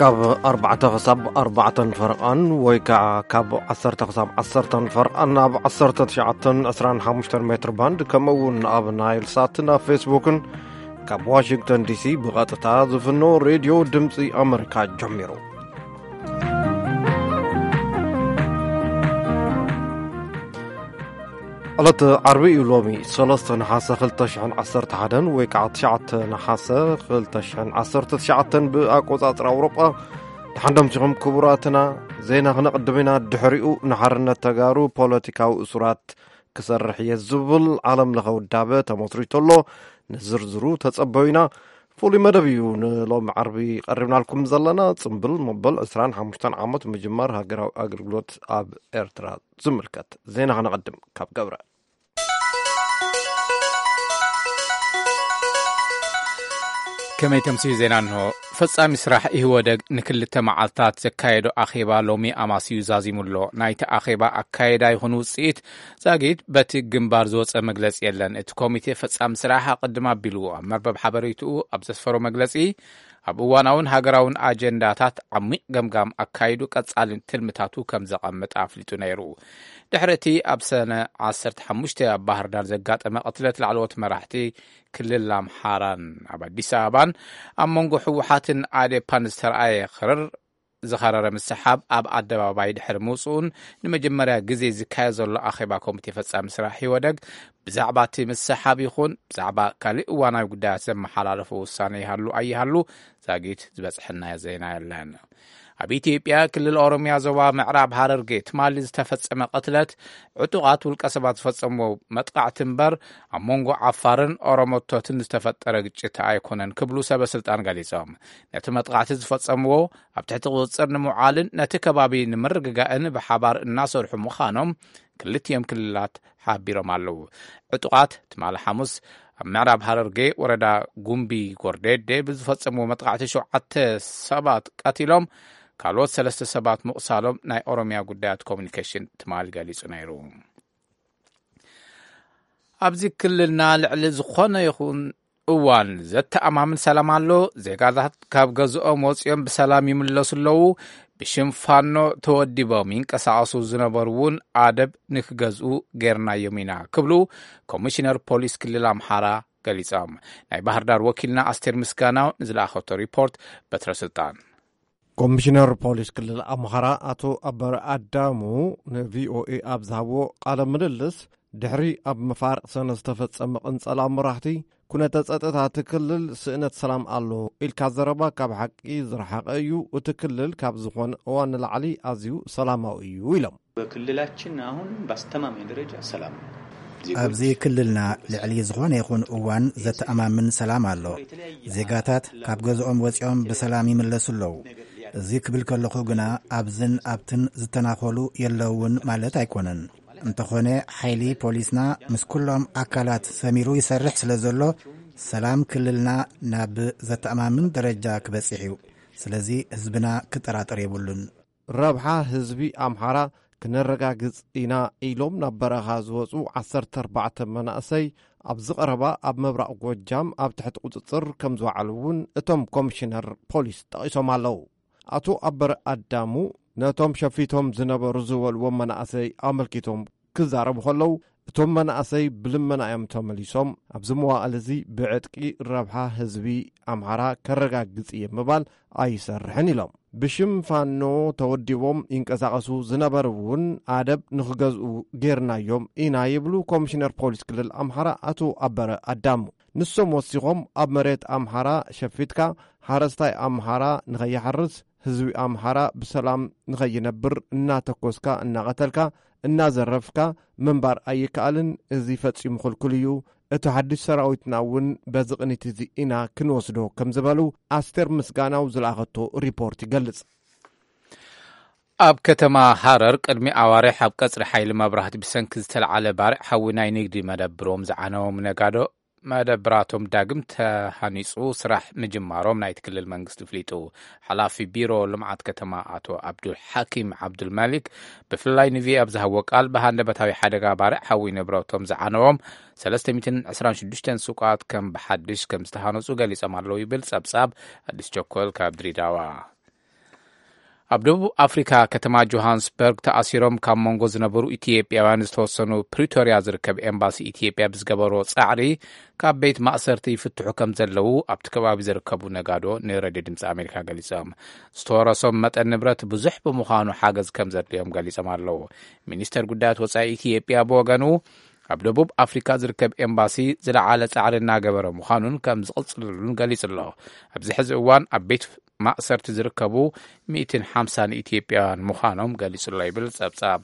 ካብ ኣርባዕተ ክሳብ ኣርባዕተን ፈርቓን ወይ ከዓ ካብ ዓሰርተ ክሳብ ዓሰርተን ፈርቓን ኣብ ዓሰርተ ትሽዓተን ዕስራን ሓሙሽተን ሜትር ባንድ፣ ከምኡ እውን ኣብ ናይል ሳትን ኣብ ፌስቡክን ካብ ዋሽንግተን ዲሲ ብቐጥታ ዝፍኖ ሬድዮ ድምፂ ኣመሪካ ጀሚሩ። ዕለት ዓርቢ እዩ ሎሚ፣ ሰለስተ ነሓሰ ክልተ ሽሕን ዓሰርተ ሓደን ወይ ከዓ ትሽዓተ ነሓሰ ክልተ ሽሕን ዓሰርተ ትሽዓተን ብኣቆፃፅራ ኣውሮጳ። ደሓን ደምሲኹም ክቡራትና። ዜና ክነቕድም ኢና። ድሕሪኡ ንሓርነት ተጋሩ ፖለቲካዊ እሱራት ክሰርሕ እየ ዝብል ዓለም ለኸ ውዳበ ተመስሪቱ ኣሎ። ንዝርዝሩ ተጸበዩና። ፍሉይ መደብ እዩ ንሎሚ ዓርቢ ቀሪብናልኩም ዘለና። ጽምብል መበል ዕስራን ሓሙሽተን ዓመት ምጅማር ሃገራዊ ኣገልግሎት ኣብ ኤርትራ ዝምልከት ዜና ክነቐድም ካብ ገብረ። ከመይ ተምስዩ ዜና እንሆ። ፈጻሚ ስራሕ ኢህወደግ ንክልተ መዓልታት ዘካየዶ ኣኼባ ሎሚ ኣማስዩ ዛዚሙ ኣሎ። ናይቲ ኣኼባ ኣካየዳ ይኹን ውጽኢት ዛጊት በቲ ግንባር ዝወጸ መግለጺ የለን። እቲ ኮሚቴ ፈጻሚ ስራሕ ኣቐድም ኣቢሉ ኣብ መርበብ ሓበሬትኡ ኣብ ዘስፈሮ መግለጺ፣ ኣብ እዋናውን ሃገራውን ኣጀንዳታት ዓሚቕ ገምጋም ኣካይዱ ቀጻሊ ትልምታቱ ከም ዘቐምጥ ኣፍሊጡ ነይሩ። ድሕሪ እቲ ኣብ ሰነ ዓሰርተ ሓሙሽተ ኣብ ባህር ዳር ዘጋጠመ ቅትለት ላዕለዎት መራሕቲ ክልል ኣምሓራን ኣብ ኣዲስ ኣበባን ኣብ መንጎ ህወሓትን ኣዴፓን ዝተረኣየ ክርር ዝኸረረ ምስሓብ ኣብ ኣደባባይ ድሕሪ ምውፅኡን ንመጀመርያ ግዜ ዝካየድ ዘሎ ኣኼባ ኮሚቴ ፈጻሚ ስራሕ ህወደግ ብዛዕባ እቲ ምስሓብ ይኹን ብዛዕባ ካልእ እዋናዊ ጉዳያት ዘመሓላለፎ ውሳነ ይሃሉ ኣይሃሉ ዛጊት ዝበፅሐና ዜና የለን። ኣብ ኢትዮጵያ ክልል ኦሮሚያ ዞባ ምዕራብ ሃረርጌ ትማሊ ዝተፈጸመ ቅትለት ዕጡቓት ውልቀ ሰባት ዝፈጸምዎ መጥቃዕቲ እምበር ኣብ መንጎ ዓፋርን ኦሮሞቶትን ዝተፈጠረ ግጭት ኣይኮነን ክብሉ ሰበ ስልጣን ገሊጾም። ነቲ መጥቃዕቲ ዝፈጸምዎ ኣብ ትሕቲ ቁጽጽር ንምውዓልን ነቲ ከባቢ ንምርግጋእን ብሓባር እናሰርሑ ምዃኖም ክልቲኦም ክልላት ሓቢሮም ኣለዉ። ዕጡቓት ትማሊ ሓሙስ ኣብ ምዕራብ ሃረርጌ ወረዳ ጉምቢ ጎርዴዴ ብዝፈጸምዎ መጥቃዕቲ ሸውዓተ ሰባት ቀቲሎም ካልኦት ሰለስተ ሰባት ምቑሳሎም ናይ ኦሮሚያ ጉዳያት ኮሚኒኬሽን ትማሊ ገሊጹ ነይሩ። ኣብዚ ክልልና ልዕሊ ዝኾነ ይኹን እዋን ዘተኣማምን ሰላም ኣሎ። ዜጋታት ካብ ገዝኦም ወፂኦም ብሰላም ይምለሱ ኣለዉ። ብሽም ፋኖ ተወዲቦም ይንቀሳቐሱ ዝነበሩ እውን ኣደብ ንክገዝኡ ጌርናዮም ኢና ክብሉ ኮሚሽነር ፖሊስ ክልል ኣምሓራ ገሊጾም። ናይ ባህር ዳር ወኪልና ኣስቴር ምስጋናው ንዝለኣኸቶ ሪፖርት በትረ ስልጣን። ኮሚሽነር ፖሊስ ክልል ኣምሓራ ኣቶ ኣበረ ኣዳሙ ንቪኦኤ ኣብ ዝሃብዎ ቃለ ምልልስ፣ ድሕሪ ኣብ መፋርቕ ሰነ ዝተፈጸመ ቅንጸላ መራሕቲ፣ ኩነተ ጸጥታ እቲ ክልል ስእነት ሰላም ኣሎ ኢልካ ዘረባ ካብ ሓቂ ዝረሓቐ እዩ። እቲ ክልል ካብ ዝኾነ እዋን ንላዕሊ ኣዝዩ ሰላማዊ እዩ ኢሎም። በክልላችን አሁን በአስተማማኝ ደረጃ ሰላም ነው። ዜጎች ኣብዚ ክልልና ልዕሊ ዝኾነ ይኹን እዋን ዘተኣማምን ሰላም ኣሎ። ዜጋታት ካብ ገዝኦም ወፂኦም ብሰላም ይምለሱ ኣለዉ። እዚ ክብል ከለኹ ግና ኣብዝን ኣብትን ዝተናኸሉ የለውን ማለት ኣይኮነን። እንተኾነ ሓይሊ ፖሊስና ምስ ኩሎም ኣካላት ሰሚሩ ይሰርሕ ስለ ዘሎ ሰላም ክልልና ናብ ዘተኣማምን ደረጃ ክበፅሕ እዩ። ስለዚ ህዝብና ክጠራጠር የብሉን። ረብሓ ህዝቢ ኣምሓራ ክነረጋግጽ ኢና ኢሎም ናብ በረኻ ዝወጹ ዓሰርተ ኣርባዕተ መናእሰይ ኣብዚ ቀረባ ኣብ ምብራቕ ጎጃም ኣብ ትሕቲ ቁጽጽር ከም ዝወዓሉ እውን እቶም ኮሚሽነር ፖሊስ ጠቒሶም ኣለዉ። ኣቶ ኣበረ ኣዳሙ ነቶም ሸፊቶም ዝነበሩ ዝበልዎም መናእሰይ ኣመልኪቶም ክዛረቡ ከለዉ፣ እቶም መናእሰይ ብልመና እዮም ተመሊሶም፣ ኣብዚ መዋእል እዚ ብዕጥቂ ረብሓ ህዝቢ ኣምሓራ ከረጋግጽ እየ ምባል ኣይሰርሕን ኢሎም። ብሽም ፋኖ ተወዲቦም ይንቀሳቐሱ ዝነበሩ እውን ኣደብ ንኽገዝኡ ጌርናዮም ኢና ይብሉ ኮሚሽነር ፖሊስ ክልል ኣምሓራ ኣቶ ኣበረ ኣዳሙ። ንሶም ወሲኾም፣ ኣብ መሬት ኣምሓራ ሸፊትካ ሓረስታይ ኣምሓራ ንኸይሓርስ፣ ህዝቢ ኣምሓራ ብሰላም ንኸይነብር እናተኮስካ፣ እናቐተልካ፣ እናዘረፍካ ምንባር ኣይከኣልን። እዚ ፈጺሙ ክልኩል እዩ። እቲ ሓድሽ ሰራዊትና እውን በዚ ቅኒት እዚ ኢና ክንወስዶ ከም ዝበሉ ኣስቴር ምስጋናው ዝለኣኸቶ ሪፖርት ይገልጽ። ኣብ ከተማ ሃረር ቅድሚ ኣዋርሕ ኣብ ቀጽሪ ሓይሊ መብራህቲ ብሰንኪ ዝተለዓለ ባርዕ ሓዊ ናይ ንግዲ መደብሮም ዝዓነዎም ነጋዶ መደብራቶም ዳግም ተሃኒጹ ስራሕ ምጅማሮም ናይቲ ክልል መንግስቲ ኣፍሊጡ። ሓላፊ ቢሮ ልምዓት ከተማ ኣቶ ኣብዱል ሓኪም ዓብዱል ማሊክ ብፍላይ ንቪኦኤ ኣብ ዝሃቦ ቃል ብሃንደበታዊ ሓደጋ ባርዕ ሓዊ ንብረቶም ዝዓነዎም ሰለስተ ሚእትን ዕስራን ሽዱሽተን ሱቃት ከም ብሓድሽ ከም ዝተሃነጹ ገሊጾም ኣለዉ ይብል ጸብጻብ ኣዲስ ቸኮል ካብ ድሬዳዋ። ኣብ ደቡብ ኣፍሪካ ከተማ ጆሃንስበርግ ተኣሲሮም ካብ መንጎ ዝነበሩ ኢትዮጵያውያን ዝተወሰኑ ፕሪቶርያ ዝርከብ ኤምባሲ ኢትዮጵያ ብዝገበሮ ጻዕሪ ካብ ቤት ማእሰርቲ ይፍትሑ ከም ዘለዉ ኣብቲ ከባቢ ዝርከቡ ነጋዶ ንሬድዮ ድምፂ ኣሜሪካ ገሊጾም። ዝተወረሶም መጠን ንብረት ብዙሕ ብምዃኑ ሓገዝ ከም ዘድልዮም ገሊጾም ኣለዉ። ሚኒስተር ጉዳያት ወጻኢ ኢትዮጵያ ብወገኑ ኣብ ደቡብ ኣፍሪካ ዝርከብ ኤምባሲ ዝለዓለ ጻዕሪ እናገበረ ምዃኑን ከም ዝቕጽልሉን ገሊጹ ኣሎ። ኣብዚ ሕዚ እዋን ኣብ ቤት ማእሰርቲ ዝርከቡ ሚእትን ሓምሳን ኢትዮጵያውያን ምዃኖም ገሊጹ ኣሎ ይብል ጸብጻብ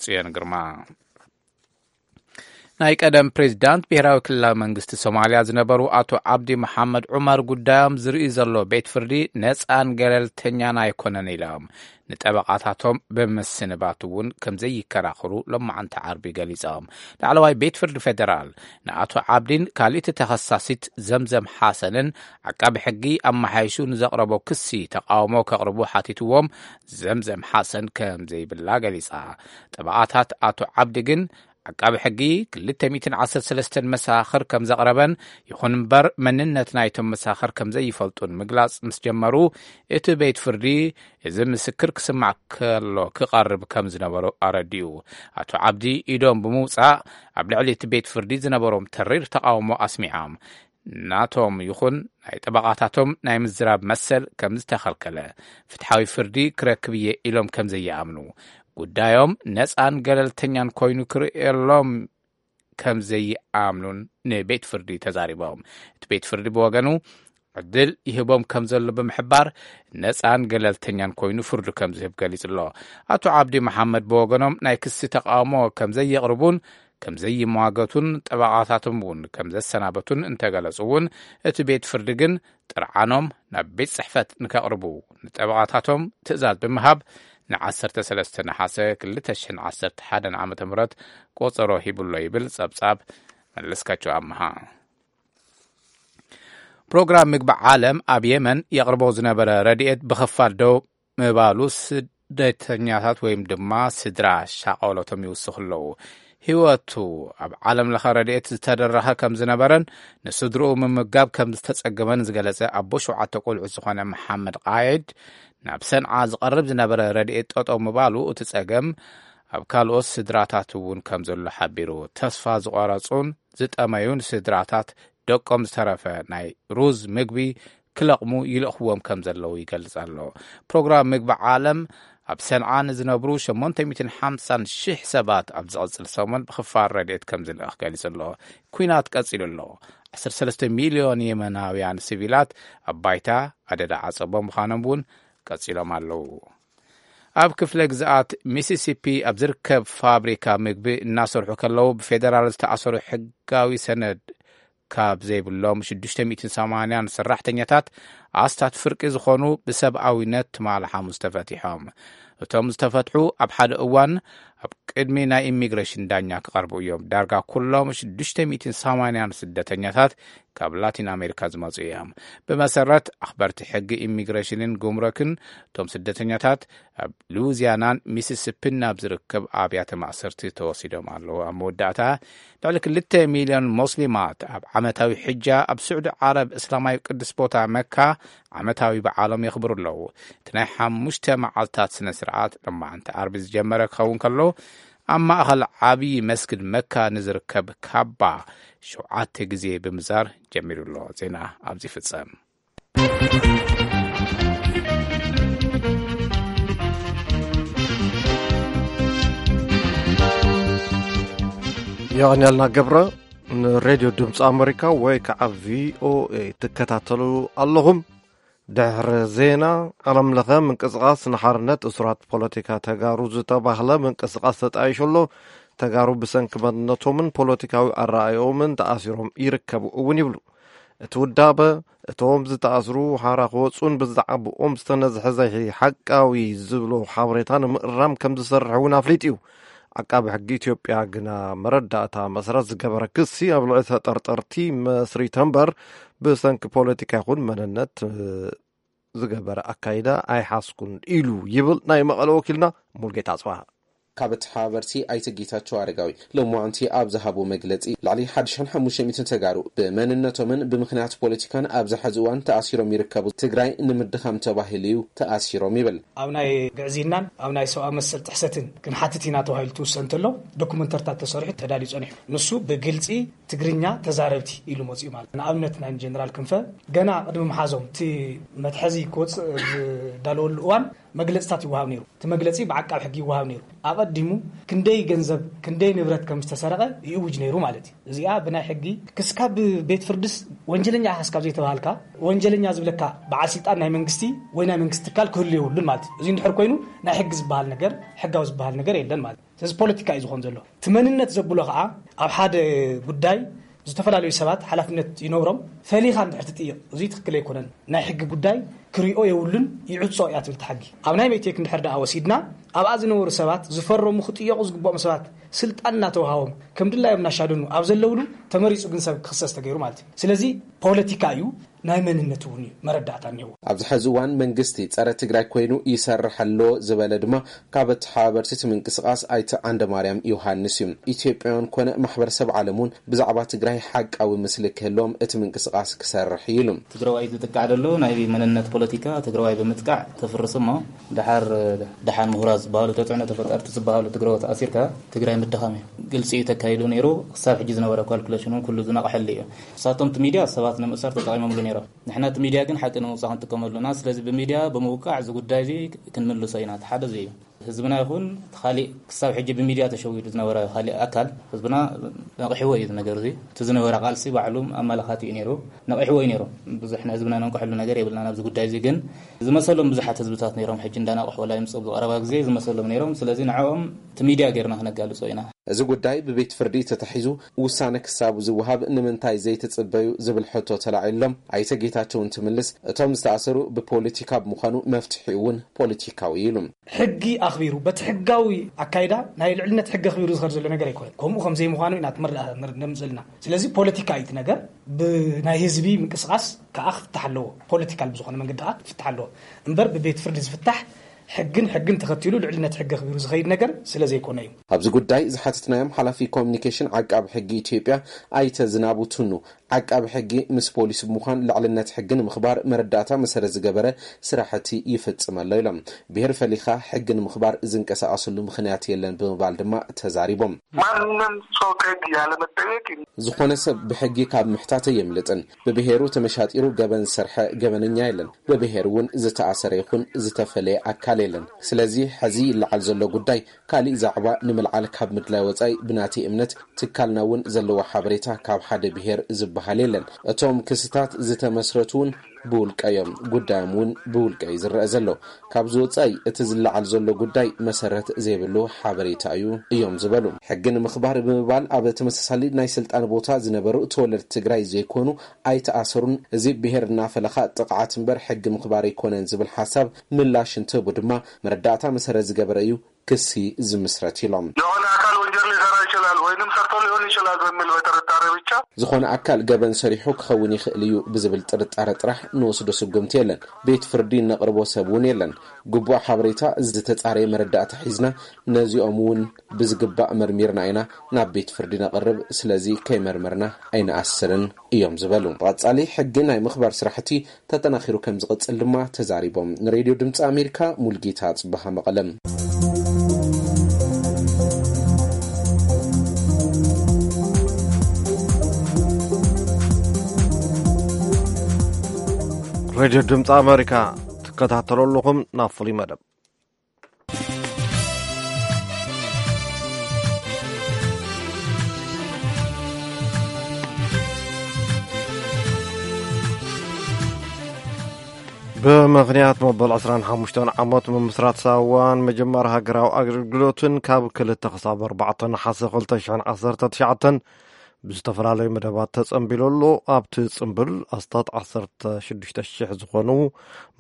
ጽዮን ግርማ። ናይ ቀደም ፕሬዚዳንት ብሄራዊ ክልላዊ መንግስቲ ሶማልያ ዝነበሩ ኣቶ ዓብዲ መሓመድ ዑመር ጉዳዮም ዝርኢ ዘሎ ቤት ፍርዲ ነፃን ገለልተኛን ኣይኮነን ኢሎም ንጠበቓታቶም ብምስንባት እውን ከም ዘይከራኸሩ ሎማዓንቲ ዓርቢ ገሊጾም። ላዕለዋይ ቤት ፍርዲ ፌደራል ንኣቶ ዓብዲን ካልእቲ ተኸሳሲት ዘምዘም ሓሰንን ዓቃቢ ሕጊ ኣመሓይሹ ንዘቕረቦ ክሲ ተቃውሞ ከቕርቡ ሓቲትዎም ዘምዘም ሓሰን ከም ዘይብላ ገሊጻ። ጠበቓታት ኣቶ ዓብዲ ግን ዓቃቢ ሕጊ ክልተ ሚእትን ዓሰርተ ሰለስተን መሰኻኽር ከም ዘቕረበን ይኹን እምበር መንነት ናይቶም መሰኻኽር ከም ዘይፈልጡን ምግላጽ ምስ ጀመሩ እቲ ቤት ፍርዲ እዚ ምስክር ክስማዕ ከሎ ክቐርብ ከም ዝነበሮ ኣረዲኡ። ኣቶ ዓብዲ ኢዶም ብምውጻእ ኣብ ልዕሊ እቲ ቤት ፍርዲ ዝነበሮም ተሪር ተቓውሞ ኣስሚዖም። ናቶም ይኹን ናይ ጠበቓታቶም ናይ ምዝራብ መሰል ከም ዝተኸልከለ፣ ፍትሓዊ ፍርዲ ክረክብ እየ ኢሎም ከም ዘይኣምኑ፣ ጉዳዮም ነፃን ገለልተኛን ኮይኑ ክርእየሎም ከም ዘይኣምኑን ንቤት ፍርዲ ተዛሪቦም። እቲ ቤት ፍርዲ ብወገኑ ዕድል ይህቦም ከም ዘሎ ብምሕባር ነፃን ገለልተኛን ኮይኑ ፍርዱ ከም ዝህብ ገሊጹ ኣሎ። ኣቶ ዓብዲ መሓመድ ብወገኖም ናይ ክሲ ተቃውሞ ከም ዘየቕርቡን ከም ዘይሟገቱን ጠበቓታቶም እውን ከም ዘሰናበቱን እንተገለጹ እውን እቲ ቤት ፍርዲ ግን ጥርዓኖም ናብ ቤት ጽሕፈት ንከቕርቡ ንጠበቓታቶም ትእዛዝ ብምሃብ ንዓሰርተ ሰለስተ ነሓሰ ክልተ ሽሕን ዓሰርተ ሓደን ዓመተ ምህረት ቆጸሮ ሂቡሎ ይብል ጸብጻብ መለስካቸው ኣምሃ። ፕሮግራም ምግቢ ዓለም ኣብ የመን የቕርቦ ዝነበረ ረድኤት ብኽፋል ደው ምባሉ ስደተኛታት ወይም ድማ ስድራ ሻቐሎቶም ይውስኹ ኣለዉ። ህይወቱ ኣብ ዓለም ለኸ ረድኤት ዝተደረኸ ከም ዝነበረን ንስድርኡ ምምጋብ ከም ዝተጸገመን ዝገለጸ ኣቦ ሸውዓተ ቆልዑ ዝኾነ መሓመድ ቃየድ ናብ ሰንዓ ዝቐርብ ዝነበረ ረድኤት ጠጠው ምባሉ እቲ ጸገም ኣብ ካልኦት ስድራታት እውን ከም ዘሎ ሓቢሩ። ተስፋ ዝቆረጹን ዝጠመዩን ስድራታት ደቆም ዝተረፈ ናይ ሩዝ ምግቢ ክለቕሙ ይልእኽዎም ከም ዘለዉ ይገልጽ ኣሎ። ፕሮግራም ምግቢ ዓለም ኣብ ሰንዓ ንዝነብሩ ሸሞንተ ሚእትን ሓምሳን ሽሕ ሰባት ኣብ ዝቕጽል ሰሙን ብኽፋል ረድኤት ከም ዝልእኽ ገሊጹ ኣሎ። ኲናት ቀጺሉ ኣሎ። ዓሰርተ ሰለስተ ሚልዮን የመናውያን ሲቪላት ኣብ ባይታ ኣደዳ ዓጸቦ ምዃኖም እውን ቀጺሎም ኣለዉ። ኣብ ክፍለ ግዝኣት ሚሲሲፒ ኣብ ዝርከብ ፋብሪካ ምግቢ እናሰርሑ ከለዉ ብፌደራል ዝተኣሰሩ ሕጋዊ ሰነድ ካብ ዘይብሎም ሽዱሽተ ሚእትን ሰማንያን ሰራሕተኛታት ኣስታት ፍርቂ ዝኾኑ ብሰብኣዊነት ትማሊ ሓሙስ ተፈቲሖም። እቶም ዝተፈትሑ ኣብ ሓደ እዋን ኣብ ቅድሚ ናይ ኢሚግሬሽን ዳኛ ክቐርቡ እዮም። ዳርጋ ኩሎም ሽዱሽተ ሚእትን ሰማንያን ስደተኛታት ካብ ላቲን ኣሜሪካ ዝመጹ እዮም። ብመሰረት ኣኽበርቲ ሕጊ ኢሚግሬሽንን ጉምረክን እቶም ስደተኛታት ኣብ ሉዊዚያናን ሚሲሲፒን ናብ ዝርከብ ኣብያተ ማእሰርቲ ተወሲዶም ኣለዉ። ኣብ መወዳእታ ልዕሊ ክልተ ሚልዮን ሞስሊማት ኣብ ዓመታዊ ሕጃ ኣብ ስዑዲ ዓረብ እስላማዊ ቅዱስ ቦታ መካ ዓመታዊ በዓሎም የኽብሩ ኣለዉ። እቲ ናይ ሓሙሽተ መዓልታት ስነ ስርዓት ሎማዓንቲ ዓርቢ ዝጀመረ ክኸውን ከሎ ኣብ ማእኸል ዓብዪ መስጊድ መካ ንዝርከብ ካባ ሸውዓተ ግዜ ብምዛር ጀሚሩ ኣሎ። ዜና ኣብዚ ይፍጸም። የቐንያልና ገብረ። ንሬድዮ ድምፂ ኣመሪካ ወይ ከዓ ቪኦኤ ትከታተሉ ኣለኹም። ድሕሪ ዜና፣ ዓለም ለኸ ምንቅስቓስ ንሓርነት እሱራት ፖለቲካ ተጋሩ ዝተባህለ ምንቅስቓስ ተጣይሹ ኣሎ። ተጋሩ ብሰንኪ መንነቶምን ፖለቲካዊ ኣረኣእዮምን ተኣሲሮም ይርከቡ እውን ይብሉ። እቲ ውዳበ፣ እቶም ዝተኣስሩ ሓራ ክወፁን ብዛዕባኦም ዝተነዝሐ ዘይሓቃዊ ዝብሎ ሓበሬታ ንምእራም ከም ዝሰርሕ እውን ኣፍሊጡ እዩ። ዓቃቢ ሕጊ ኢትዮጵያ ግና መረዳእታ መሰረት ዝገበረ ክሲ ኣብ ልዕሊ ተጠርጠርቲ መስሪተ እምበር ብሰንኪ ፖለቲካ ይኹን መንነት ዝገበረ ኣካይዳ ኣይሓዝኩን ኢሉ ይብል ናይ መቐለ ወኪልና ሙልጌታ ኣጽብሃ። ካብ ተሓባበርቲ ኣይተ ጌታቸው ኣረጋዊ ሎማዓንቲ ኣብ ዝሃቡ መግለጺ፣ ልዕሊ ሓደ ሺሕን ሓሙሽተ ሚእትን ተጋሩ ብመንነቶምን ብምኽንያት ፖለቲካን ኣብዚ ሕዚ እዋን ተኣሲሮም ይርከቡ። ትግራይ ንምድኻም ተባሂሉ እዩ ተኣሲሮም ይብል። ኣብ ናይ ግዕዝይናን ኣብ ናይ ሰብኣዊ መሰል ጥሕሰትን ክንሓትት ኢና ተባሂሉ ትውሰን እንተሎ፣ ዶኩመንተርታት ተሰሪሑ ተዳልዩ ጸኒሑ። ንሱ ብግልጺ ትግርኛ ተዛረብቲ ኢሉ መጺኡ ማለት። ንኣብነት ናይ ጀነራል ክንፈ ገና ቅድሚ ምሓዞም እቲ መትሐዚ ክወጽእ ዝዳለወሉ እዋን መግለጽታት ይወሃብ ነይሩ። እቲ መግለጺ ብዓቃብ ሕጊ ይወሃብ ነይሩ። ኣቐዲሙ ክንደይ ገንዘብ ክንደይ ንብረት ከም ዝተሰረቐ ይእውጅ ነይሩ ማለት እዩ። እዚኣ ብናይ ሕጊ ክስካብ ቤት ፍርድስ ወንጀለኛ ኢኻ ክስካብ ዘይተባሃልካ፣ ወንጀለኛ ዝብለካ በዓል ስልጣን ናይ መንግስቲ ወይ ናይ መንግስቲ ትካል ክህሉ የብሉን ማለት እዩ። እዚ እንድሕር ኮይኑ ናይ ሕጊ ዝበሃል ነገር፣ ሕጋዊ ዝበሃል ነገር የለን ማለት እዩ። ስለዚ ፖለቲካ እዩ ዝኾን ዘሎ። እቲ መንነት ዘብሎ ከዓ ኣብ ሓደ ጉዳይ ዝተፈላለዩ ሰባት ሓላፍነት ይነብሮም፣ ፈሊኻ እንድሕር ትጥይቕ፣ እዚ ትክክል ኣይኮነን፣ ናይ ሕጊ ጉዳይ ክሪኦ የብሉን፣ ይዕጾ እያ ትብል እቲ ሕጊ። ኣብ ናይ ሜቴክ እንድሕር ደኣ ወሲድና፣ ኣብኣ ዝነበሩ ሰባት ዝፈረሙ ክጥየቑ ዝግብኦም ሰባት ስልጣን እናተዋሃቦም ከም ድላዮም እናሻደኑ ኣብ ዘለውሉ ተመሪጹ ግን ሰብ ክኽሰስ ተገይሩ ማለት እዩ። ስለዚ ፖለቲካ እዩ፣ ናይ መንነት እውን እዩ መረዳእታ እኒአዎ። ኣብዚ ሕዚ እዋን መንግስቲ ጸረ ትግራይ ኮይኑ ይሰርሕ ኣሎ ዝበለ ድማ ካብ ተሓባበርቲ እቲ ምንቅስቃስ ኣይተ ዓንደማርያም ዮሃንስ እዩ። ኢትዮጵያውያን ኮነ ማሕበረሰብ ዓለም እውን ብዛዕባ ትግራይ ሓቃዊ ምስሊ ክህልዎም እቲ ምንቅስቃስ ክሰርሕ እዩ ኢሉ። ትግራዋይ ዝጥቃዕ ዘሎ ናይ መንነት ፖለቲካ ትግራዋይ ብምጥቃዕ ተፍርስ እሞ፣ ደሓር ደሓን ምሁራት ዝበሃሉ፣ ተፅዕኖ ተፈጠርቲ ዝበሃሉ ትግራዎት ኣሲርካ ትግራይ ምድኻም እዩ። ግልፂ እዩ ተካይዱ ነይሩ። ክሳብ ሕጂ ዝነበረ ካልኩሌሽን እውን ኩሉ ዝነቕሐሉ እዩ። ንሳቶም እቲ ሚድያ ሰባት ንምእሳር ተጠቒሞምሉ ነይሮም። ንሕና እቲ ሚድያ ግን ሓቂ ንምውፃእ ክንጥቀመሉ ኢና። ስለዚ ብሚድያ ብምውቃዕ እዚ ጉዳይ እዚ ክንምልሶ ኢና። እቲ ሓደ እዚ እዩ። ህዝብና ይኹን እቲ ካሊእ ክሳብ ሕጂ ብሚድያ ተሸዊዱ ዝነበረ ካሊእ ኣካል ህዝብና ነቒሕዎ እዩ። እዚ ነገር እዚ እቲ ዝነበረ ቃልሲ ባዕሉ ኣመላኻቲ እዩ ነይሩ። ነቒሕዎ እዩ ነይሩ። ብዙሕ ንህዝብና ነንቅሐሉ ነገር የብልና። ናብዚ ጉዳይ እዚ ግን ዝመሰሎም ብዙሓት ህዝብታት ነይሮም። ሕጂ እንዳነቕሑ ወላ ይምፅኡ ብቐረባ ግዜ ዝመሰሎም ነይሮም። ስለዚ ንዕኦም እቲ ሚድያ ጌርና ክነጋልጾ ኢና። እዚ ጉዳይ ብቤት ፍርዲ ተታሒዙ ውሳነ ክሳቡ ዝወሃብ ንምንታይ ዘይትጽበዩ ዝብል ሕቶ ተላዒሎም ኣይተ ጌታቸው እንትምልስ፣ እቶም ዝተኣሰሩ ብፖለቲካ ብምዃኑ መፍትሒኡ እውን ፖለቲካዊ ኢሉ። ሕጊ ኣኽቢሩ በቲ ሕጋዊ ኣካይዳ ናይ ልዕልነት ሕጊ ኣኽቢሩ ዝኸድ ዘሎ ነገር ኣይኮነን። ከምኡ ከም ዘይምዃኑ ኢና ትምር-፣ ምር-፣ ነምጽእ ዘለና። ስለዚ ፖለቲካ እዩ እቲ ነገር። ብናይ ህዝቢ ምንቅስቃስ ከዓ ክፍታሕ ኣለዎ። ፖለቲካል ብዝኾነ መንገዲ ከዓ ክፍታሕ ኣለዎ። እምበር ብቤት ፍርዲ ዝፍታሕ ሕግን ሕግን ተኸቲሉ ልዕልነት ሕጊ ኣኽቢሩ ዝኸይድ ነገር ስለ ዘይኮነ እዩ። ኣብዚ ጉዳይ ዝሓተትናዮም ሓላፊ ኮሚኒኬሽን ዓቃቢ ሕጊ ኢትዮጵያ ኣይተ ዝናቡ ቱኑ፣ ዓቃቢ ሕጊ ምስ ፖሊስ ብምዃን ልዕልነት ሕጊ ንምኽባር መረዳእታ መሰረት ዝገበረ ስራሕቲ ይፍጽም ኣሎ ኢሎም። ብሄር ፈሊኻ ሕጊ ንምኽባር ዝንቀሳቐስሉ ምኽንያት የለን ብምባል ድማ ተዛሪቦም። ማንም ሰው ከህግ ያለመጠየቅ ዝኾነ ሰብ ብሕጊ ካብ ምሕታት የምልጥን። ብብሄሩ ተመሻጢሩ ገበን ዝሰርሐ ገበነኛ የለን። ብብሄር እውን ዝተኣሰረ ይኹን ዝተፈለየ ኣካል የለን። ስለዚ ሕዚ ይለዓል ዘሎ ጉዳይ ካሊእ ዛዕባ ንምልዓል ካብ ምድላይ ወጻኢ ብናተይ እምነት ትካልና እውን ዘለዎ ሓበሬታ ካብ ሓደ ብሄር ዝበሃል የለን። እቶም ክስታት ዝተመስረቱ እውን ብውልቀ እዮም። ጉዳዮም እውን ብውልቀ እዩ ዝረአ ዘሎ። ካብዚ ወጻኢ እቲ ዝለዓል ዘሎ ጉዳይ መሰረት ዘይብሉ ሓበሬታ እዩ እዮም ዝበሉ። ሕጊ ንምኽባር ብምባል ኣብ ተመሳሳሊ ናይ ስልጣን ቦታ ዝነበሩ ተወለድቲ ትግራይ ዘይኮኑ ኣይተኣሰሩን። እዚ ብሄር እናፈለኻ ጥቕዓት እምበር ሕጊ ምኽባር ኣይኮነን ዝብል ሓሳብ ምላሽ እንትህቡ ድማ መረዳእታ መሰረት ዝገበረ እዩ ክሲ ዝምስረት ኢሎም። የሆነ አካል ወንጀል ሊሰራ ይችላል ወይንም ሰርቶ ሊሆን ይችላል በሚል በጥርጣሬ ብቻ ዝኾነ ኣካል ገበን ሰሪሑ ክኸውን ይኽእል እዩ ብዝብል ጥርጣረ ጥራሕ ንወስዶ ስጉምቲ የለን። ቤት ፍርዲ ነቕርቦ ሰብ እውን የለን። ግቡእ ሓበሬታ ዝተጻረየ መረዳእታ ሒዝና ነዚኦም እውን ብዝግባእ መርሚርና ኢና ናብ ቤት ፍርዲ ነቕርብ። ስለዚ ከይመርመርና ኣይንኣስርን እዮም ዝበሉ። ብቐጻሊ ሕጊ ናይ ምኽባር ስራሕቲ ተጠናኺሩ ከም ዝቕጽል ድማ ተዛሪቦም። ንሬድዮ ድምፂ ኣሜሪካ ሙልጌታ ጽበሃ መቐለም። ሬድዮ ድምፂ ኣሜሪካ ትከታተሉ ኣለኹም። ናብ ፍሉይ መደብ ብምኽንያት መበል ዕስራን ሓሙሽተን ዓመት ምምስራት ሳዋን ምጅማር ሃገራዊ ኣገልግሎትን ካብ ክልተ ክሳብ ኣርባዕተ ነሓሰ ክልተ ሽሕን ዓሰርተ ትሽዓተን ብዝተፈላለዩ መደባት ተጸንቢሉ ኣሎ። ኣብቲ ጽምብል ኣስታት ዓሰርተ ሽዱሽተ ሽሕ ዝኾኑ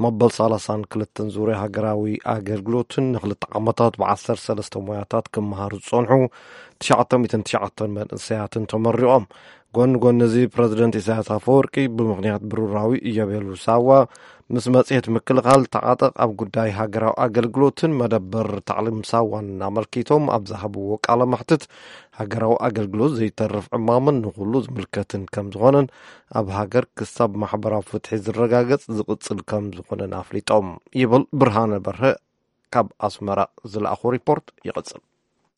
መበል ሰላሳን ክልተን ዙርያ ሃገራዊ ኣገልግሎትን ንክልተ ዓመታት ብዓሰርተ ሰለስተ ሞያታት ክመሃሩ ዝጸንሑ ትሽዓተ ሚእትን ትሽዓተን መንእሰያትን ተመሪቖም። ጎን ጎን እዚ ፕረዚደንት ኢሳያስ ኣፈወርቂ ብምኽንያት ብሩራዊ እዮቤሉ ሳዋ ምስ መጽሔት ምክልኻል ተዓጠቕ ኣብ ጉዳይ ሃገራዊ ኣገልግሎትን መደበር ታዕሊም ሳዋን ኣመልኪቶም ኣብ ዝሃብዎ ቃለ መሕትት፣ ሃገራዊ ኣገልግሎት ዘይተርፍ ዕማምን ንኹሉ ዝምልከትን ከም ዝኾነን ኣብ ሃገር ክሳብ ማሕበራዊ ፍትሒ ዝረጋገጽ ዝቕጽል ከም ዝኾነን ኣፍሊጦም ይብል። ብርሃነ በርሀ ካብ ኣስመራ ዝለኣኾ ሪፖርት ይቕጽል።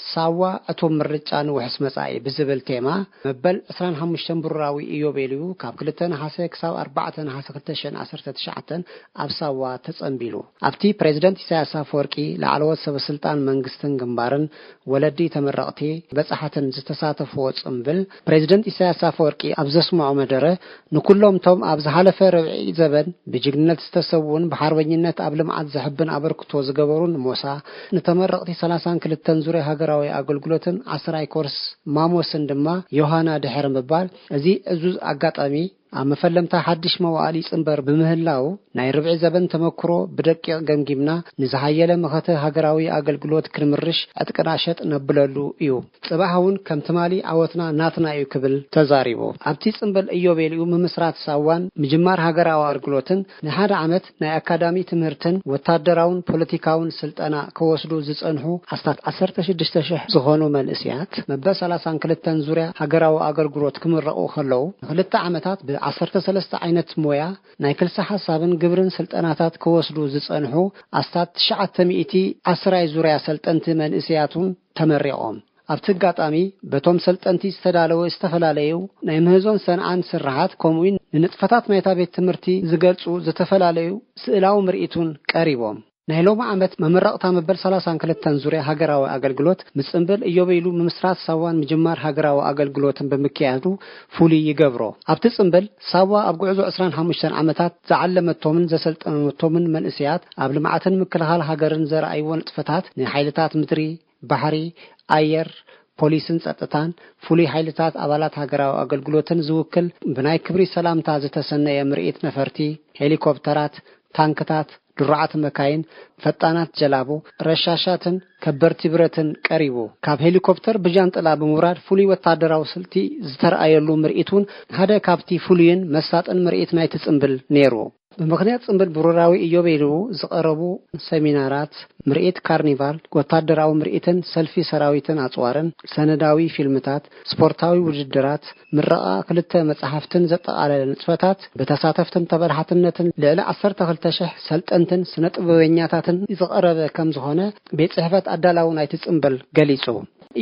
ሳዋ ዕቱብ ምርጫ ንውሕስ መጻኢ ብዝብል ቴማ መበል ዕስራን ሓሙሽተን ብሩራዊ ኢዮቤልዩ ካብ ክልተ ነሓሰ ክሳብ ኣርባዕተ ነሓሰ ክልተ ሽሕን ዓሰርተ ትሽዓተን ኣብ ሳዋ ተጸንቢሉ። ኣብቲ ፕሬዚደንት ኢሳያስ ኣፈወርቂ፣ ላዕለዎት ሰበ ስልጣን መንግስትን ግንባርን፣ ወለዲ ተመረቕቲ፣ በጻሕትን ዝተሳተፍዎ ጽንብል፣ ፕሬዚደንት ኢሳያስ ኣፈወርቂ ኣብ ዘስምዖ መደረ፣ ንኩሎም ቶም ኣብ ዝሓለፈ ርብዒ ዘበን ብጅግንነት ዝተሰውኡን ብሓርበኝነት ኣብ ልምዓት ዘሕብን ኣበርክቶ ዝገበሩን ሞሳ፣ ንተመረቕቲ ሰላሳን ክልተን ዙርያ ሃገራዊ ኣገልግሎትን ዓስራይ ኮርስ ማሞስን ድማ ዮሃና ድሕሪ ምባል፣ እዚ ዕዙዝ ኣጋጣሚ ኣብ መፈለምታ ሓድሽ መዋዕል ይጽንበር ብምህላው፣ ናይ ርብዒ ዘበን ተመክሮ ብደቂቕ ገምጊምና፣ ንዝሓየለ መኸተ ሃገራዊ ኣገልግሎት ክንምርሽ ዕጥቅና ሸጥ ነብለሉ እዩ። ጽባሕ እውን ከም ትማሊ ዓወትና ናትና እዩ ክብል ተዛሪቡ። ኣብቲ ጽንብል ኢዮቤልዩ ምምስራት ሳዋን ምጅማር ሃገራዊ ኣገልግሎትን ንሓደ ዓመት ናይ ኣካዳሚ ትምህርትን ወታደራውን ፖለቲካውን ስልጠና ክወስዱ ዝጸንሑ ኣስታት ዓሰርተ ሽዱሽተ ሽሕ ዝኾኑ መንእስያት መበል ሰላሳን ክልተን ዙርያ ሃገራዊ ኣገልግሎት ክምረቑ ከለዉ፣ ንክልተ ዓመታት ብ ዓሰርተ ሰለስተ ዓይነት ሞያ ናይ ክልሰ ሓሳብን ግብርን ስልጠናታት ክወስዱ ዝጸንሑ ኣስታት ትሽዓተ ሚእቲ ዓስራይ ዙርያ ሰልጠንቲ መንእስያት እውን ተመሪቖም። ኣብቲ ኣጋጣሚ በቶም ሰልጠንቲ ዝተዳለወ ዝተፈላለዩ ናይ ምህዞን ሰንዓን ስርሓት፣ ከምኡውን ንንጥፈታት ናይታ ቤት ትምህርቲ ዝገልጹ ዝተፈላለዩ ስእላዊ ምርኢት እውን ቀሪቦም። ናይ ሎሚ ዓመት መመረቕታ መበል ሰላሳን ክልተን ዙርያ ሃገራዊ ኣገልግሎት፣ ምጽንብል ኢዮቤሉ ምምስራት ሳዋን ምጅማር ሃገራዊ ኣገልግሎትን ብምክያዱ ፍሉይ ይገብሮ። ኣብቲ ጽንብል፣ ሳዋ ኣብ ጉዕዞ ዕስራን ሓሙሽተን ዓመታት ዝዓለመቶምን ዘሰልጠነቶምን መንእስያት ኣብ ልምዓትን ምክልኻል ሃገርን ዘርኣይዎ ንጥፈታት፣ ንሓይልታት ምድሪ፣ ባሕሪ፣ ኣየር፣ ፖሊስን ጸጥታን፣ ፍሉይ ሓይልታት ኣባላት ሃገራዊ ኣገልግሎትን ዝውክል ብናይ ክብሪ ሰላምታ ዝተሰነየ ምርኢት ነፈርቲ፣ ሄሊኮፕተራት፣ ታንክታት፣ ድሩዓት መካይን፣ ፈጣናት ጀላቡ፣ ረሻሻትን ከበድቲ ብረትን ቀሪቡ። ካብ ሄሊኮፕተር ብጃንጥላ ብምውራድ ፍሉይ ወታደራዊ ስልቲ ዝተረኣየሉ ምርኢት እውን ሓደ ካብቲ ፍሉይን መሳጥን ምርኢት ናይቲ ጽንብል ነይሩ። ብምኽንያት ጽንብል ብሩራዊ ኢዮቤልዩ ዝቐረቡ ሰሚናራት፣ ምርኢት ካርኒቫል፣ ወታደራዊ ምርኢትን ሰልፊ ሰራዊትን ኣጽዋርን፣ ሰነዳዊ ፊልምታት፣ ስፖርታዊ ውድድራት፣ ምረቓ ክልተ መጻሕፍትን ዘጠቓለለ ንጥፈታት፣ ብተሳተፍትን ተበላሓትነትን ልዕሊ ዓሰርተ ክልተ ሽሕ ሰልጠንትን ስነ ጥበበኛታትን ዝቐረበ ከም ዝኾነ ቤት ጽሕፈት ኣዳላዊ ናይቲ ጽንብል ገሊጹ።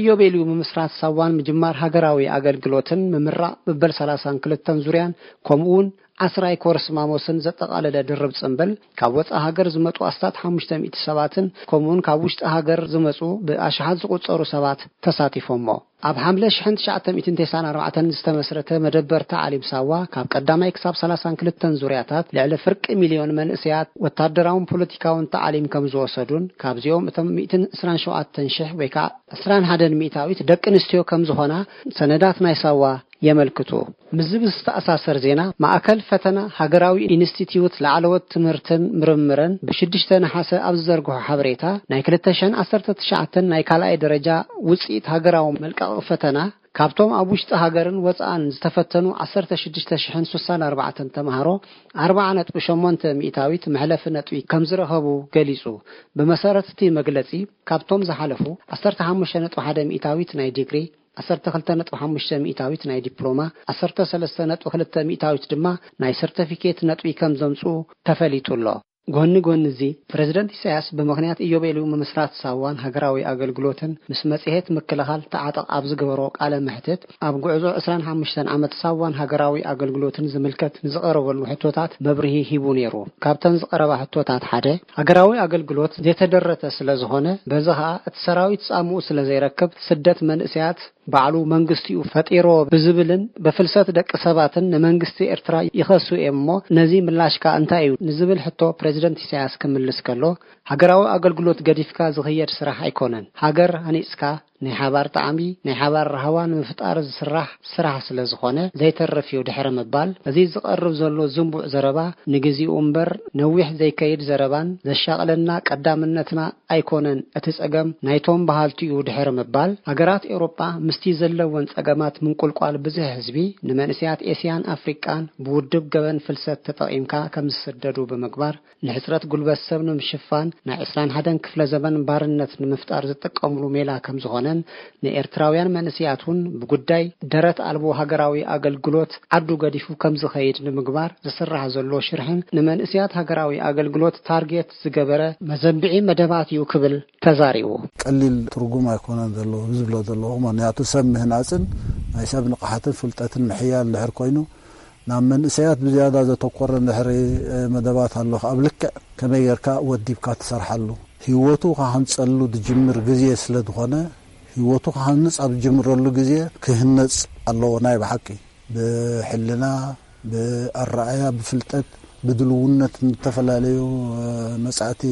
ኢዮቤልዩ ምምስራት ሳዋን ምጅማር ሃገራዊ ኣገልግሎትን ምምራቕ መበል ሰላሳን ክልተን ዙርያን፣ ከምኡ እውን ዓስራይ ኮርስ ማሞስን ዘጠቓለለ ድርብ ጽንብል፣ ካብ ወጻኢ ሃገር ዝመጹ ኣስታት ሓሙሽተ ሚእቲ ሰባትን፣ ከምኡውን ካብ ውሽጢ ሃገር ዝመጹ ብኣሽሓት ዝቑጸሩ ሰባት ተሳቲፎሞ። ኣብ ሓምለ ሽሕን ትሽዓተ ሚእትን ተስዓን ኣርባዕተን ዝተመስረተ መደበር ታዕሊም ሳዋ፣ ካብ ቀዳማይ ክሳብ ሰላሳን ክልተን ዙርያታት ልዕሊ ፍርቂ ሚልዮን መንእሰያት ወታደራውን ፖለቲካውን ታዕሊም ከም ዝወሰዱን፣ ካብዚኦም እቶም ሚእትን ዕስራን ሸውዓተን ሽሕ ወይ ከዓ ዕስራን ሓደን ሚእታዊት ደቂ ኣንስትዮ ከም ዝኾና ሰነዳት ናይ ሳዋ የመልክቱ። ምስዚ ብዝተኣሳሰር ዜና፣ ማእከል ፈተና ሃገራዊ ኢንስቲትዩት ላዕለዎት ትምህርትን ምርምርን ብሽዱሽተ ነሓሰ ኣብ ዝዘርግሖ ሓበሬታ፣ ናይ ክልተ ሽሕን ዓሰርተ ትሽዓተን ናይ ካልኣይ ደረጃ ውጽኢት ሃገራዊ መልቀቒ ፈተና፣ ካብቶም ኣብ ውሽጢ ሃገርን ወጻእን ዝተፈተኑ ዓሰርተ ሽዱሽተ ሽሕን ስሳን ኣርባዕተን ተምሃሮ፣ ኣርብዓ ነጥቢ ሸሞንተ ሚእታዊት መሕለፊ ነጥቢ ከም ዝረኸቡ ገሊጹ። ብመሰረት እቲ መግለጺ፣ ካብቶም ዝሓለፉ፣ ዓሰርተ ሓሙሽተ ነጥቢ ሓደ ሚእታዊት ናይ ዲግሪ፣ ዓሰርተ ክልተ ነጥቢ ሓሙሽተ ሚእታዊት ናይ ዲፕሎማ፣ ዓሰርተ ሰለስተ ነጥቢ ክልተ ሚእታዊት ድማ ናይ ሰርተፊኬት ነጥቢ ከም ዘምጽኡ ተፈሊጡ ኣሎ። ጎኒ ጎኒ እዚ፣ ፕረዚደንት ኢሳያስ ብምኽንያት ኢዮቤልዩ ምምስራት ሳዋን ሃገራዊ ኣገልግሎትን ምስ መጽሔት ምክልኻል ተዓጠቕ ኣብ ዝገበሮ ቃለ መሕትት፣ ኣብ ጉዕዞ ዕስራን ሓሙሽተን ዓመት ሳዋን ሃገራዊ ኣገልግሎትን ዝምልከት ንዝቐረበሉ ሕቶታት መብርሂ ሂቡ ነይሩ። ካብተን ዝቐረባ ሕቶታት ሓደ፣ ሃገራዊ ኣገልግሎት ዘይተደረተ ስለ ዝኾነ፣ በዚ ኸኣ እቲ ሰራዊት ጻምኡ ስለ ዘይረክብ፣ ስደት መንእሰያት ባዕሉ መንግስቲኡ ፈጢሮ ብዝብልን ብፍልሰት ደቂ ሰባትን ንመንግስቲ ኤርትራ ይኸሱ እዮም እሞ፣ ነዚ ምላሽካ እንታይ እዩ ንዝብል ሕቶ ፕረዚደንት ኢሳያስ ክምልስ ከሎ፣ ሃገራዊ ኣገልግሎት ገዲፍካ ዝኽየድ ስራሕ ኣይኮነን። ሃገር ሃኒጽካ ናይ ሓባር ጣዕሚ፣ ናይ ሓባር ራህዋ ንምፍጣር ዝስራሕ ስራሕ ስለ ዝኾነ ዘይተርፍ እዩ ድሕሪ ምባል፣ እዚ ዝቐርብ ዘሎ ዝንቡዕ ዘረባ ንግዚኡ እምበር ነዊሕ ዘይከይድ ዘረባን ዘሻቕለና ቀዳምነትና ኣይኮነን፣ እቲ ጸገም ናይቶም በሃልቲ እዩ ድሕሪ ምባል፣ ሃገራት ኤውሮጳ ምስቲ ዘለወን ጸገማት ምንቁልቋል ብዝሒ ህዝቢ፣ ንመንእሰያት ኤስያን ኣፍሪቃን ብውድብ ገበን ፍልሰት ተጠቒምካ ከም ዝስደዱ ብምግባር፣ ንሕጽረት ጉልበት ሰብ ንምሽፋን ናይ ዕስራን ሓደን ክፍለ ዘመን ባርነት ንምፍጣር ዝጥቀምሉ ሜላ ከም ዝኾነን፣ ንኤርትራውያን መንእሰያት እውን ብጉዳይ ደረት ኣልቦ ሃገራዊ ኣገልግሎት ዓዱ ገዲፉ ከም ዝኸይድ ንምግባር ዝስራሕ ዘሎ ሽርሕን ንመንእሰያት ሃገራዊ ኣገልግሎት ታርጌት ዝገበረ መዘንብዒ መደባት እዩ ክብል ተዛሪቡ። ቀሊል ትርጉም ኣይኮነን ዘለዎ ዝብሎ ዘለኹ። ምኽንያቱ ሰብ ምህናጽን ናይ ሰብ ንቕሓትን ፍልጠትን ምሕያል እንድሕር ኮይኑ ናብ መንእሰያት ብዝያዳ ዘተኮረ እንድሕሪ መደባት ኣሎ፣ ኣብ ልክዕ ከመይ ጌርካ ወዲብካ ትሰርሓሉ፣ ህይወቱ ክሃንጸሉ ዝጅምር ግዜ ስለ ዝኾነ፣ ህይወቱ ክሃንጽ ኣብ ዝጅምረሉ ግዜ ክህነጽ ኣለዎ። ናይ ብሓቂ ብሕልና፣ ብኣረኣያ፣ ብፍልጠት፣ ብድልውነት፣ ንተፈላለዩ መጻእቲ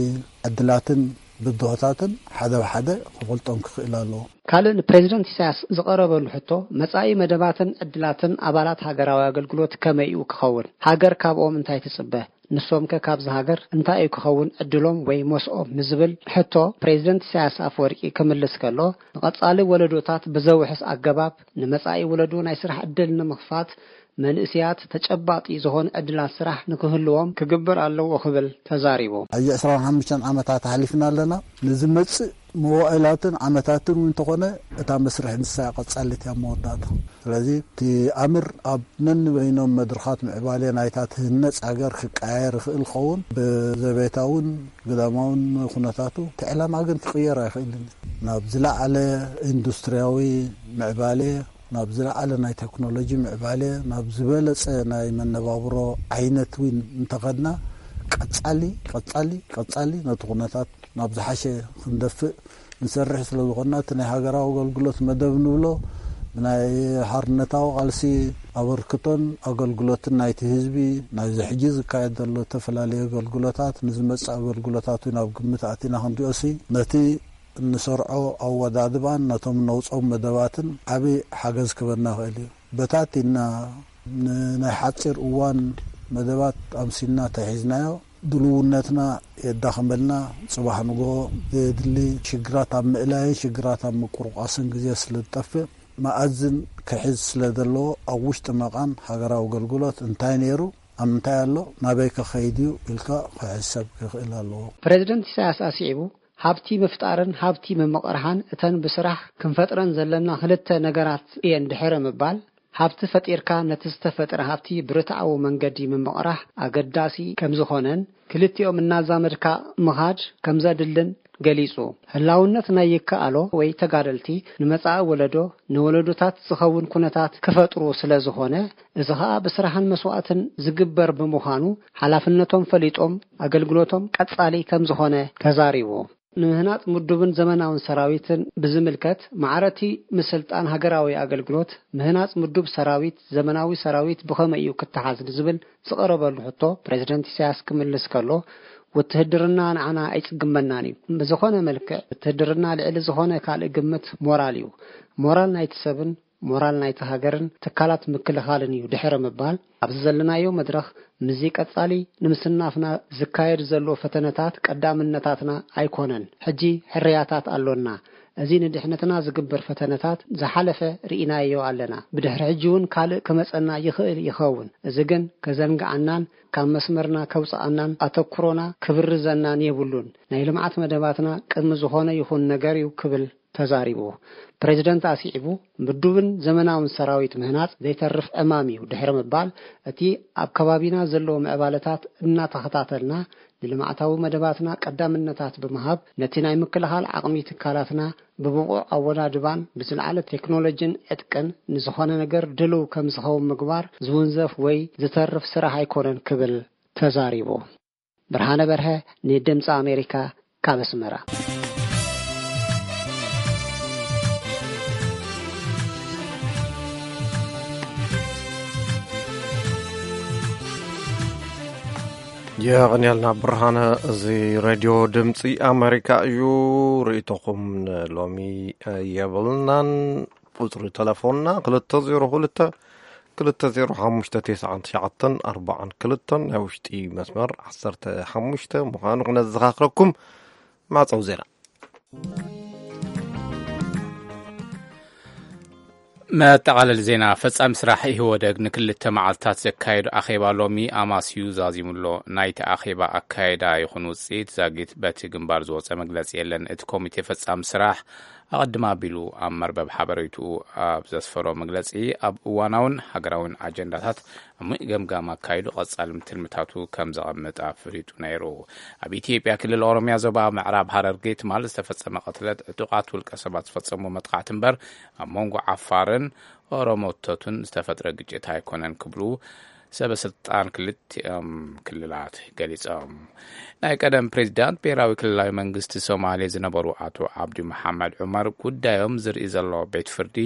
ዕድላትን ብድሆታትን ሓደ ብሓደ ክፈልጦም ክኽእል ኣለዎ። ካልእ ንፕሬዚደንት ኢሳያስ ዝቐረበሉ ሕቶ፣ መጻኢ መደባትን ዕድላትን ኣባላት ሃገራዊ ኣገልግሎት ከመይ እዩ ክኸውን? ሃገር ካብኦም እንታይ ትጽበ? ንሶምከ ካብዚ ሃገር እንታይ እዩ ክኸውን ዕድሎም ወይ ሞስኦም? ንዝብል ሕቶ ፕሬዚደንት ኢሳያስ ኣፈወርቂ ክምልስ ከሎ፣ ንቐጻሊ ወለዶታት ብዘውሕስ ኣገባብ ንመጻኢ ወለዶ ናይ ስራሕ ዕድል ንምኽፋት መንእሰያት ተጨባጢ ዝኾነ ዕድላት ስራሕ ንክህልዎም ክግበር ኣለዎ ክብል ተዛሪቡ። ሕጂ ዕስራን ሓሙሽተን ዓመታት ኣሕሊፍና ኣለና። ንዝመጽእ መዋእላትን ዓመታትን እውን እንተኾነ እታ መስርሕ ንሳ እያ ቀጻሊት እያ መወዳእታ። ስለዚ እቲ ኣምር ኣብ ነንበይኖም መድረኻት ምዕባለ ናይታ ትህነጽ ሃገር ክቀያየር ይኽእል ኸውን። ብዘቤታውን ግዳማውን ኩነታቱ እቲ ዕላማ ግን ክቕየር ኣይኽእልን እዩ። ናብ ዝለዓለ ኢንዱስትሪያዊ ምዕባለ፣ ናብ ዝለዓለ ናይ ቴክኖሎጂ ምዕባለ፣ ናብ ዝበለጸ ናይ መነባብሮ ዓይነት እውን እንተኸድና፣ ቀጻሊ፣ ቀጻሊ፣ ቀጻሊ ነቲ ኩነታት ናብ ዝሓሸ ክንደፍእ ንሰርሕ ስለ ዝኾንና፣ እቲ ናይ ሃገራዊ ኣገልግሎት መደብ ንብሎ፣ ብናይ ሓርነታዊ ቃልሲ ኣበርክቶን ኣገልግሎትን ናይቲ ህዝቢ፣ ናይዚ ሕጂ ዝካየድ ዘሎ ዝተፈላለዩ ኣገልግሎታት፣ ንዝመጽእ ኣገልግሎታት እውን ኣብ ግምት ኣቲና ክንሪኦሲ፣ ነቲ እንሰርዖ ኣወዳድባን ነቶም ነውጾም መደባትን ዓቢ ሓገዝ ክበና ይኽእል እዩ። በታቲና ንናይ ሓጺር እዋን መደባት ኣምሲልና ተሒዝናዮ፣ ድልውነትና የዳኽመልና። ጽባሕ ንግሆ ዘየድሊ ሽግራት ኣብ ምእላይን ሽግራት ኣብ ምቁርቋስን ግዜ ስለ ዝጠፍእ፣ መኣዝን ክሕዝ ስለ ዘለዎ፣ ኣብ ውሽጢ መቓን ሃገራዊ ኣገልግሎት እንታይ ነይሩ፣ ኣብ ምንታይ ኣሎ፣ ናበይ ከኸይድ እዩ ኢልካ ክሕሰብ ክኽእል ኣለዎ። ፕሬዚደንት ኢሳያስ ኣስዒቡ፣ ሃብቲ ምፍጣርን ሃብቲ ምምቕርሓን እተን ብስራሕ ክንፈጥረን ዘለና ክልተ ነገራት እየን ድሕሪ ምባል፣ ሃብቲ ፈጢርካ ነቲ ዝተፈጥረ ሃብቲ ብርትዓዊ መንገዲ ምምቕራሕ ኣገዳሲ ከም ዝኾነን፣ ክልቲኦም እናዛመድካ ምኻድ ከም ዘድልን ገሊጹ። ህላውነት ናይ ይከኣሎ ወይ ተጋደልቲ ንመጻኢ ወለዶ፣ ንወለዶታት ዝኸውን ኩነታት ክፈጥሩ ስለ ዝኾነ፣ እዚ ኸኣ ብስራሕን መስዋእትን ዝግበር ብምዃኑ፣ ሓላፍነቶም ፈሊጦም ኣገልግሎቶም ቀጻሊ ከም ዝኾነ ተዛሪቡ። ንምህናጽ ምዱብን ዘመናውን ሰራዊትን ብዝምልከት፣ ማዕረቲ ምስልጣን ሃገራዊ ኣገልግሎት፣ ምህናጽ ምዱብ ሰራዊት፣ ዘመናዊ ሰራዊት ብኸመይ እዩ ክተሓዝ ንዝብል ዝቐረበሉ ሕቶ፣ ፕሬዚደንት ኢሳያስ ክምልስ ከሎ፣ ውትህድርና ንዓና ኣይጽግመናን እዩ። ብዝኾነ መልክዕ፣ ውትህድርና ልዕሊ ዝኾነ ካልእ ግምት ሞራል እዩ። ሞራል ናይቲ ሰብን ሞራል ናይቲ ሃገርን ትካላት ምክልኻልን እዩ ድሕሪ ምባል፣ ኣብዚ ዘለናዮ መድረኽ ምስዚ ቀጻሊ ንምስናፍና ዝካየድ ዘሎ ፈተነታት ቀዳምነታትና ኣይኮነን። ሕጂ ሕርያታት ኣሎና። እዚ ንድሕነትና ዝግበር ፈተነታት ዝሓለፈ ርኢናዮ ኣለና። ብድሕሪ ሕጂ እውን ካልእ ክመጸና ይኽእል ይኸውን። እዚ ግን ከዘንግዓናን ካብ መስመርና ከውጽኣናን ኣተኩሮና ክብርዘናን የብሉን። ናይ ልምዓት መደባትና ቅድሚ ዝኾነ ይኹን ነገር እዩ ክብል ተዛሪቡ። ፕሬዚደንት ኣስዒቡ፣ ምዱብን ዘመናውን ሰራዊት ምህናጽ ዘይተርፍ ዕማም እዩ ድሕሪ ምባል፣ እቲ ኣብ ከባቢና ዘለዉ ምዕባለታት እናተኸታተልና ንልምዓታዊ መደባትና ቀዳምነታት ብምሃብ፣ ነቲ ናይ ምክልኻል ዓቕሚ ትካላትና ብብቑዕ ኣወዳድባን ብዝለዓለ ቴክኖሎጂን ዕጥቅን ንዝኾነ ነገር ድልው ከም ዝኸውን ምግባር ዝውንዘፍ ወይ ዝተርፍ ስራሕ ኣይኮነን ክብል ተዛሪቡ። ብርሃነ በርሀ ንድምፂ ኣሜሪካ ካብ ኣስመራ። የቐንየልና ብርሃነ። እዚ ሬድዮ ድምፂ ኣሜሪካ እዩ። ርእይቶኹም ንሎሚ የብልናን። ቁፅሪ ተለፎንና ክልተ ዜሮ ክልተ፣ ክልተ ዜሮ ሓሙሽተ፣ ተስዓን ትሽዓተን ኣርባዓን ክልተን፣ ናይ ውሽጢ መስመር ዓሰርተ ሓሙሽተ ምዃኑ ክነዘኻኽረኩም። ማዕፀው ዜና። መጠቓለሊ ዜና። ፈጻሚ ስራሕ ኢህወደግ ንክልተ መዓልታት ዘካየዱ ኣኼባ ሎሚ ኣማስዩ ዛዚሙሎ። ናይቲ ኣኼባ ኣካየዳ ይኹን ውጽኢት ዛጊት በቲ ግንባር ዝወጸ መግለጺ የለን። እቲ ኮሚቴ ፈጻሚ ስራሕ ኣቐድም ኣቢሉ ኣብ መርበብ ሓበሬትኡ ኣብ ዘስፈሮ መግለጺ፣ ኣብ እዋናውን ሃገራውን ኣጀንዳታት ዓሚቕ ገምጋም ኣካይዱ ቀጻሊ ትልምታቱ ከም ዘቐምጥ ኣፍሊጡ ነይሩ። ኣብ ኢትዮጵያ ክልል ኦሮሚያ ዞባ ምዕራብ ሃረርጌ ትማል ዝተፈጸመ ቅትለት ዕጡቓት ውልቀ ሰባት ዝፈጸሞ መጥቃዕቲ እምበር ኣብ መንጎ ዓፋርን ኦሮሞቶቱን ዝተፈጥረ ግጭት ኣይኮነን ክብሉ ሰበ ስልጣን ክልቲኦም ክልላት ገሊጾም። ናይ ቀደም ፕሬዚዳንት ብሔራዊ ክልላዊ መንግስቲ ሶማሌ ዝነበሩ ኣቶ ዓብዲ መሓመድ ዑመር ጉዳዮም ዝርኢ ዘሎ ቤት ፍርዲ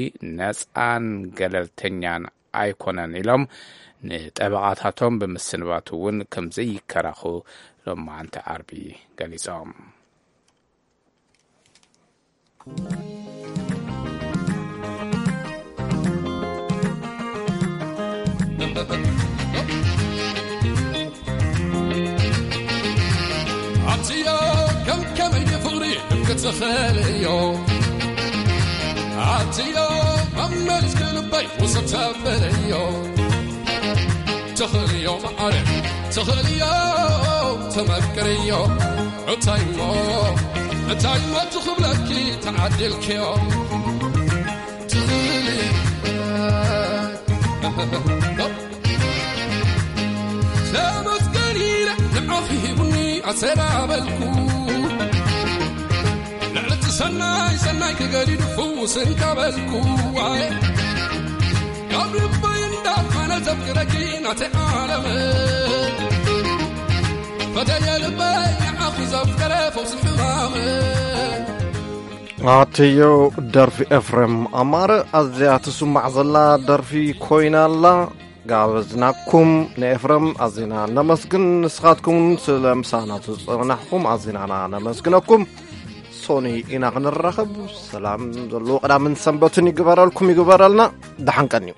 ነጻን ገለልተኛን ኣይኮነን ኢሎም ንጠበቓታቶም ብምስንባቱ እውን ከም ዘይከራኹ ሎማዓንቲ ዓርቢ ገሊጾም። ኣትዮ ከም ከመይ ፍቕሪ ክትኽእልዮ ኣትዮ መመልስ ክልበይ ውሰድ ተብልዮ ትኽእልዮ መዓረ ትኽእልዮ ተመክርዮ እንታይ እሞ እንታይ እሞ ትኽብለኪ ተዓዲልክዮ ትኽእሊ ተመስገን ኢለ ንዓኺ ሂቡኒ ኣሰላበልኩ ልዕልቲ ሰናይ ሰናይ ክገዲዱ ፍውስ እንካበልኩ ዋይ ካብ ልበይ እንዳፋነ ዘፍቅረኪ ናተይ ዓለም ፈተየ ልበይ ንዓኺ ዘፍቀረ ፈውሲ ሕማም ኣትዮ ደርፊ ኤፍሬም ኣማረ ኣዝያ ትስማዕ ዘላ ደርፊ ኮይና ኣላ። ጋበዝናኩም ንኤፍረም ኣዚና ነመስግን። ንስኻትኩም ስለ ምሳና ዝጸናሕኩም ኣዚናና ነመስግነኩም። ሶኒ ኢና ክንራኸብ። ሰላም ዘለዎ ቅዳምን ሰንበትን ይግበረልኩም ይግበረልና። ደሓን ቀንዩ።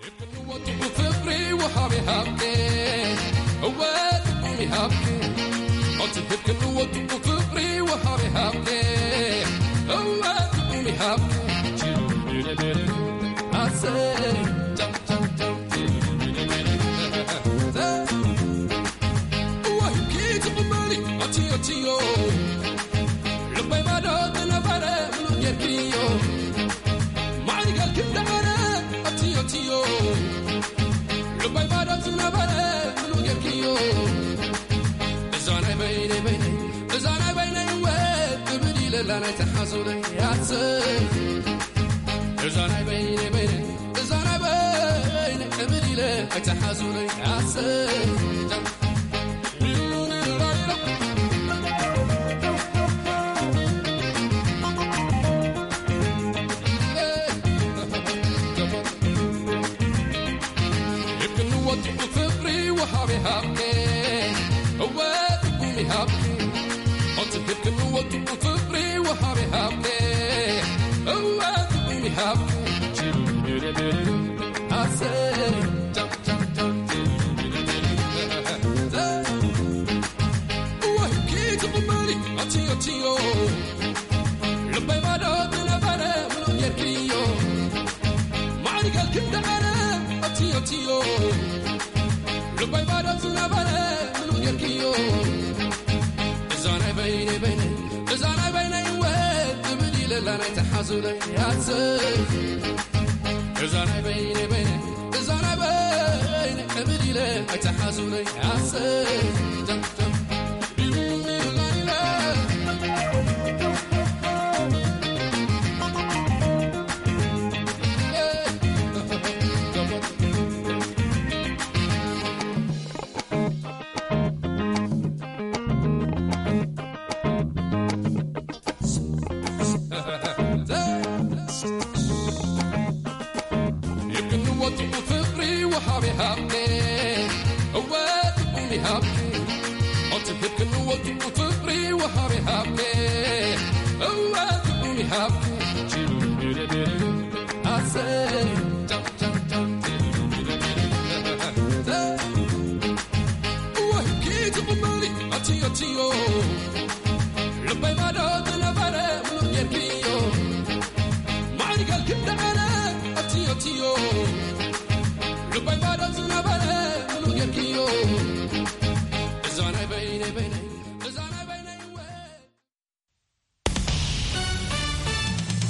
ኣብ